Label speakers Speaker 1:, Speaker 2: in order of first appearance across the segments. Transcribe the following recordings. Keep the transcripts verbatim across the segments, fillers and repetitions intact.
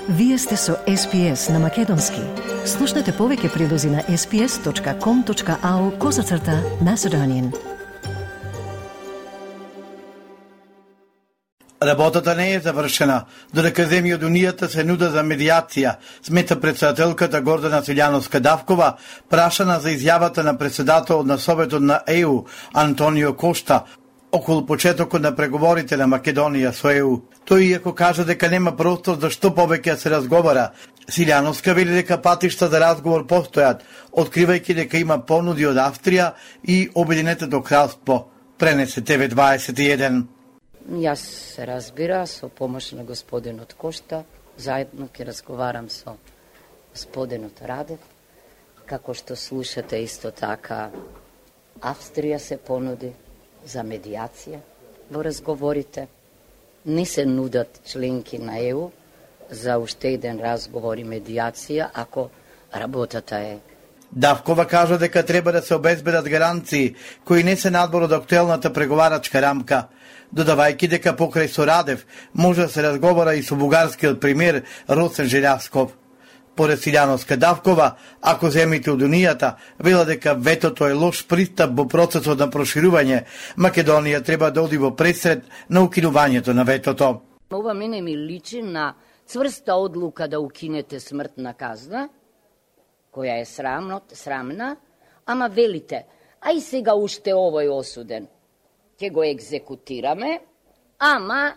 Speaker 1: Вие сте со Ес Пи Ес на Македонски. Слушнете повеќе прилози на ес пи ес точка ком точка ау козацрта Macedonian.
Speaker 2: Работата не е завршена, додека земји од Унијата се нуда за медијација, смета председателката Гордана Силјановска-Давкова, прашана за изјавата на председателот на Советот на Е У Антонио Кошта околу почетокот на преговорите на Македонија со Е У. Тој иако кажа дека нема простор за што повеќе се разговара, Силјановска вели дека патишта за разговор постојат, откривајќи дека има понуди од Австрија и Обединетото кралство, пренесе Те Ве дваесет и еден.
Speaker 3: Јас се разбира со помош на господинот Кошта, заедно ќе разговарам со господинот Радев, како што слушате исто така Австрија се понуди за медијација во разговорите. Не се нудат членки на Е У за уште еден разговор и медијација ако работата е.
Speaker 2: Давкова кажа дека треба да се обезбедат гаранции кои не се надвор од актуелната преговарачка рамка, додавајќи дека покрај со Радев може да се разговара и со бугарскиот премиер Росен Желјасков. Поред Силјановска-Давкова, ако земите од Унијата вела дека ветото е лош пристап во процесот на проширување, Македонија треба да оди во пресред на укинувањето на ветото.
Speaker 3: Ова мене ми личи на цврста одлука да укинете смртна казна, која е срамно, срамна, ама велите, ај сега уште овој осуден, ќе го екзекутираме, ама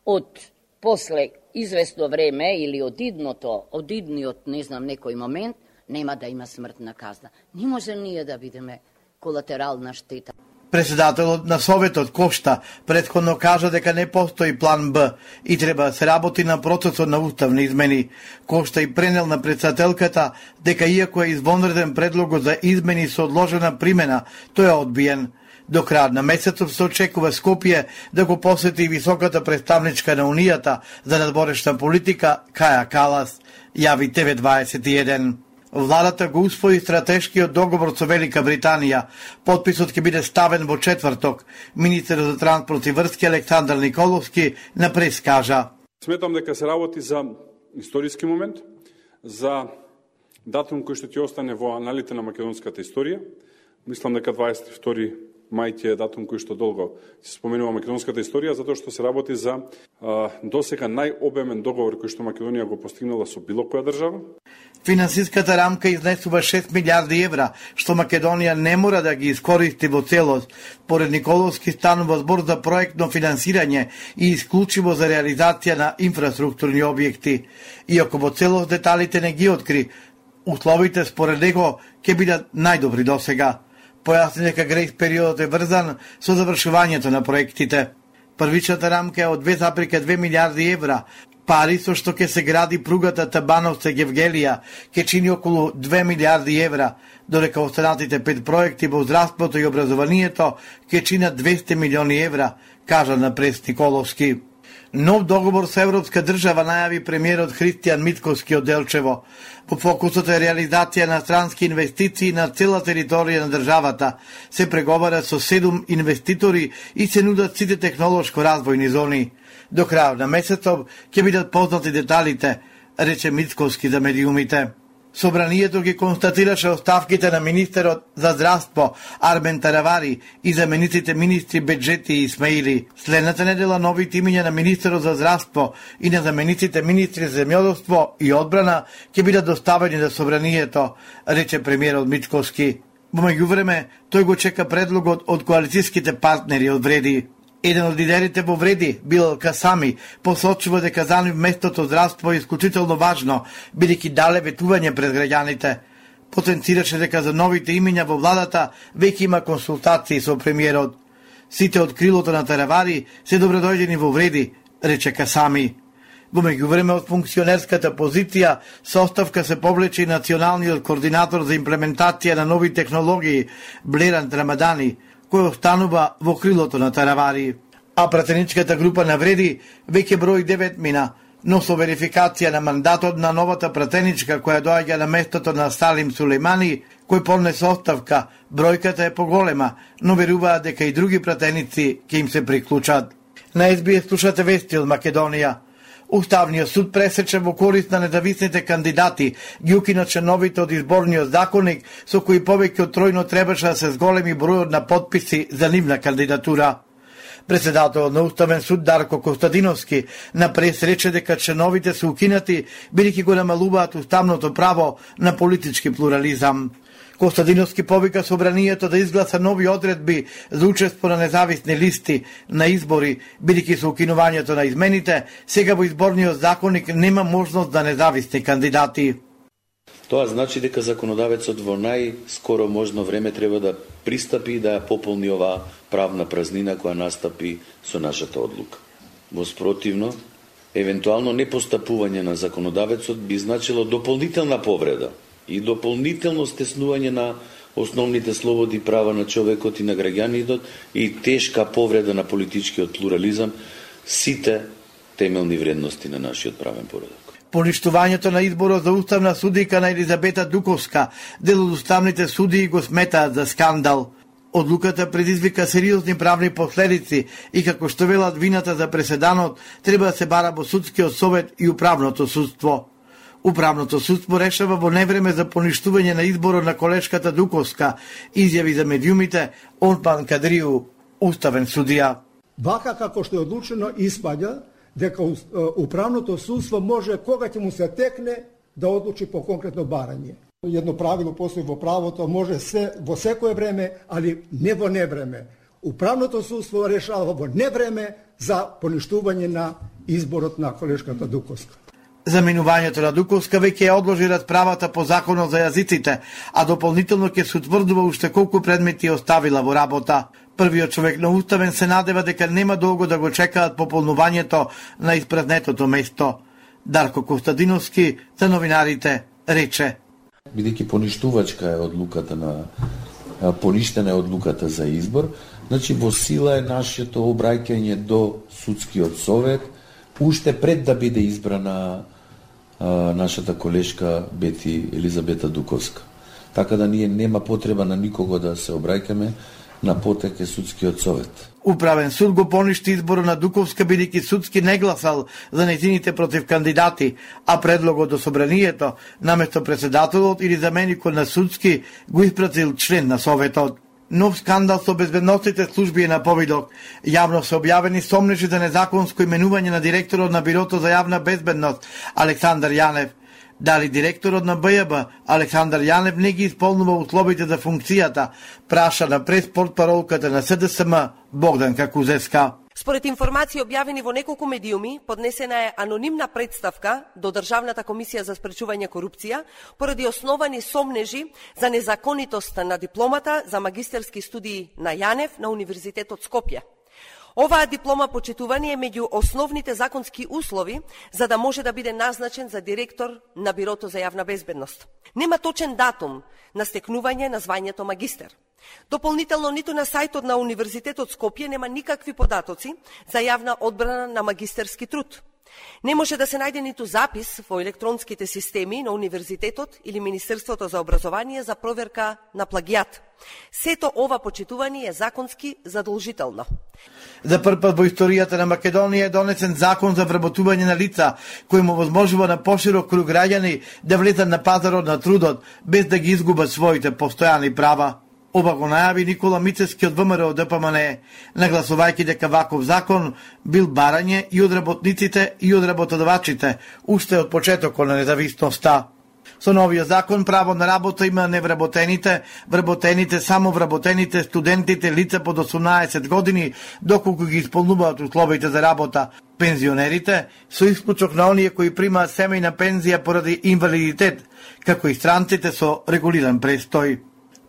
Speaker 3: од после известно време или од идното, од идниот, не знам, некој момент, нема да има смртна казна. Не може ние да бидеме колатерална штета.
Speaker 2: Председателот на Советот Кошта претходно кажа дека не постои план Б и треба да се работи на процесот на уставни измени. Кошта и пренел на председателката дека иако е извонреден предлогот за измени со одложена примена, тој е одбиен. До крајот на месецот се очекува Скопје да го посети високата представничка на Унијата за надворешна политика Каја Калас, јави Те Ве дваесет и еден. Владата го усвои стратешкиот договор со Велика Британија. Потписот ќе биде ставен во четврток. Министерот за транспорт и врски Александар Николовски на прес кажа:
Speaker 4: Сметам дека се работи за историски момент, за датум кој што ќе остане во аналите на македонската историја. Мислам дека дваесет и втори мај ќе е датум кој што долго се споменува македонската историја, затоа што се работи за а, досега најобемен договор кој што Македонија го постигнала со било која држава.
Speaker 2: Финансиската рамка изнесува шест милиарди евра, што Македонија не мора да ги искористи во целост. Поред Николовски станува збор за проектно финансирање и исклучиво за реализација на инфраструктурни објекти. Иако во целост деталите не ги откри, условите според него ќе бидат најдобри досега. Појасни дека грејс периодот е врзан со завршувањето на проектите. Првичната рамка е од две зарез и две милиарди евра, пари со што ќе се гради пругата Табановце-Гевгелија, ќе чини околу две милиарди евра, додека останатите пет проекти во здравството и образованието ќе чинат двесте милиони евра, кажа на прес Николовски. Нов договор со Европска држава најави премиерот Христијан Митковски од Делчево. По фокусот е реализација на странски инвестиции на цела територија на државата. Се преговара со седум инвеститори и се нудат сите технолошко-развојни зони. До крајот на месецов ќе бидат познати деталите, рече Митковски за медиумите. Собранието ги констатираше оставките на министерот за здравство Армен Таравари и замениците министри Беджети и Исмаили. Следната недела новите имиња на министерот за здравство и на замениците министри за земјоделство и одбрана ќе бидат доставени на собранието, рече премиерот Митковски. Во меѓувреме, тој го чека предлогот од коалицијските партнери од Вреди. Еден од лидерите во Вреди, Билал Касами, посочува дека за нив местото здравство е исклучително важно, бидејќи дале ветување пред граѓаните. Потенцираше дека за новите имиња во владата веќе има консултации со премиерот. Сите од крилото на Таравари се добредојдени во Вреди, рече Касами. Во меѓувреме од функционерската позиција со оставка се повлече и националниот координатор за имплементација на нови технологии Блеран Рамадани, кој останува во крилото на Таравари. А пратеничката група на Вреди веќе брои девет мина, но со верификација на мандатот на новата пратеничка која доаѓа на местото на Салим Сулеймани, кој поднесе оставка, бројката е поголема, но веруваат дека и други пратеници ќе им се приклучат. На Ес Би Ес слушате вести од Македонија. Уставниот суд пресече во корист на независните кандидати, ги укина членовите од изборниот законник, со кои повеќе од тројно требаше да се зголеми бројот на потписи за нивна кандидатура. Председателот на Уставен суд Дарко Костадиновски на прес рече дека членовите се укинати, бидејќи го намалуваат уставното право на политички плурализам. Костадиновски повика собранието да изгласа нови одредби за учество на независни листи на избори, бидејќи со укинувањето на измените, сега во изборниот законник нема можност за независни кандидати.
Speaker 5: Тоа значи дека законодавецот во најскоро можно време треба да пристапи да ја пополни оваа правна празнина која настапи со нашата одлука. Во спротивно, евентуално непостапување на законодавецот би значило дополнителна повреда и дополнително стеснување на основните слободи и права на човекот и на граѓаните и тешка повреда на политичкиот плурализам, сите темелни вредности на нашиот правен поредок.
Speaker 2: Поништувањето на изборот за уставна судика на Елизабета Дуковска, дел од уставните судии го сметаат за скандал. Одлуката предизвика сериозни правни последици и како што велат вината за преседанот треба да се бара во судскиот совет и управното судство. Управното судство решава во невреме за поништување на изборот на колешката Дуковска, изјави за медиумите Онпан Кадриу, уставен судија.
Speaker 6: Вака како што е одлучено испаѓа дека управното судство може кога ќе му се текне да одлучи по конкретно барање. Едно правило постои во правото, може се во секое време, али не во невреме. Управното судство решава во невреме за поништување на изборот на колешката Дуковска.
Speaker 2: Заминувањето на Дуковска веќе ја одложи расправата по законот за јазиците, а дополнително ќе се утврдува уште колку предмети оставила во работа. Првиот човек на Уставен се надева дека нема долго да го чекаат пополнувањето на испразнетото место. Дарко Костадиновски за новинарите рече:
Speaker 5: Бидејќи поништувачка е одлуката на поништена е одлуката за избор, значи во сила е нашето обраќање до судскиот совет уште пред да биде избрана а, нашата колешка Бети Елизабета Дуковска. Така да ние нема потреба на никого да се обраќаме, на потек е судскиот совет.
Speaker 2: Управен суд го поништи изборот на Дуковска бидејќи судски не гласал за нејзините против кандидати, а предлогот до собранието наместо председателот или заменикот на судски го испратил член на советот. Нов скандал со безбедносните служби е на повидок. Јавно се објавени сомнежи за незаконско именување на директорот на Бирото за јавна безбедност Александар Јанев. Дали директорот на Б Ј Б Александар Јанев не ги исполнува условите за функцијата, праша на прес-портпаролката на С Д С М Богданка Кузевска.
Speaker 7: Според информации објавени во неколку медиуми, поднесена е анонимна представка до Државната комисија за спречување корупција поради основани сомнежи за незаконитост на дипломата за магистерски студии на Јанев на Универзитетот Скопје. Оваа диплома, почитувани, е меѓу основните законски услови за да може да биде назначен за директор на Бирото за јавна безбедност. Нема точен датум на стекнување на звањето магистер. Дополнително, ниту на сајтот на Универзитетот Скопје нема никакви податоци за јавна одбрана на магистерски труд. Не може да се најде ниту запис во електронските системи на Универзитетот или Министерството за образование за проверка на плагијат. Сето ова почитување е законски задолжително.
Speaker 2: За прв пат во историјата на Македонија е донесен закон за вработување на лица, кој му возможува на поширок круг граѓани да влезат на пазарот на трудот без да ги изгубат своите постојани права. Ова го најави Никола Мицевски од В М Р О Д П М Н Е, нагласувајќи дека ваков закон бил барање и од работниците и од работодавачите, уште од почетокот на независноста. Со новиот закон право на работа има невработените, вработените, само вработените, студентите, лица под осумнаесет години, доколку ги исполнуваат условите за работа, пензионерите, со исклучок на оние кои примаат семејна пензија поради инвалидитет, како и странците со регулиран престој.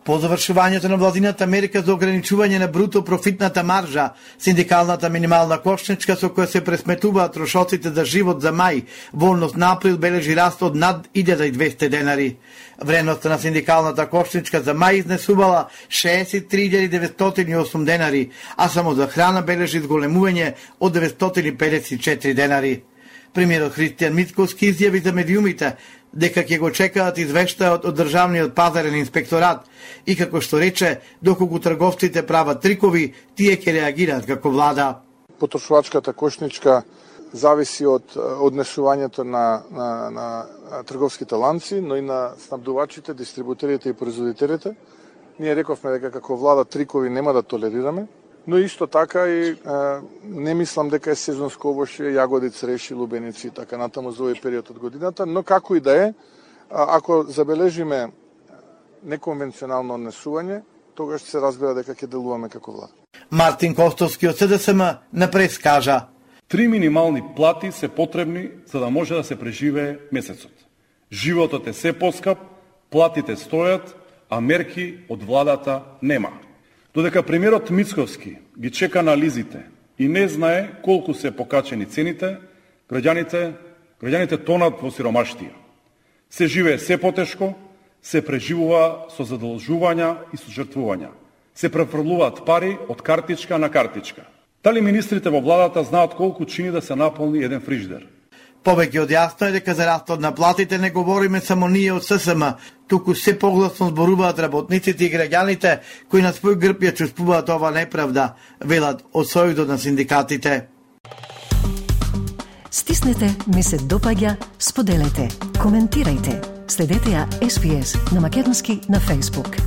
Speaker 2: По завршувањето на владината мерка за ограничување на бруто профитната маржа, синдикалната минимална кошничка со која се пресметуваат трошоците за живот за мај, во однос на април бележи раст од над илјада и двесте денари. Вредноста на синдикалната кошничка за мај изнесувала шеесет и три илјади деветстотини и осум денари, а само за храна бележи зголемување од деветстотини и педесет и четири денари. Премиерот Христијан Мицковски изјави за медиумите дека ќе го чекаат извештајот од Државниот пазарен инспекторат и како што рече, доколку трговците прават трикови, тие ќе реагираат како влада.
Speaker 8: Потрошувачката кошничка зависи од однесувањето на, на, на трговските ланци, но и на снабдувачите, дистрибутерите и производителите. Ние рековме дека како влада трикови нема да толерираме, но исто така и е, не мислам дека е сезонско овошје, јагоди, цреши, лубеници и така натаму за овој период од годината, но како и да е, ако забележиме неконвенционално однесување, тогаш се разбира дека ќе делуваме како влада.
Speaker 2: Мартин Костовски од СДСМ на прес кажа:
Speaker 9: Три минимални плати се потребни за да може да се преживее месецот. Животот е се поскап, платите стојат, а мерки од владата нема. Додека премиерот Мицковски ги чека анализите и не знае колку се покачени цените, граѓаните, граѓаните тонат во сиромаштија. Се живее се потешко, се преживува со задолжувања и со жртвувања. Се префрлуваат пари од картичка на картичка. Дали министрите во владата знаат колку чини да се наполни еден фриждер?
Speaker 2: Повеќе од јасно е дека за растот на платите не говориме само ние од ССМ, туку се погласно зборуваат работниците и граѓаните кои на свој грб ја чувствуваат ова неправда, велат од Сојузот на синдикатите.
Speaker 1: Стиснете, ми се допаѓа, споделете, коментирајте. Следете ја Ес Би Ес на македонски на Facebook.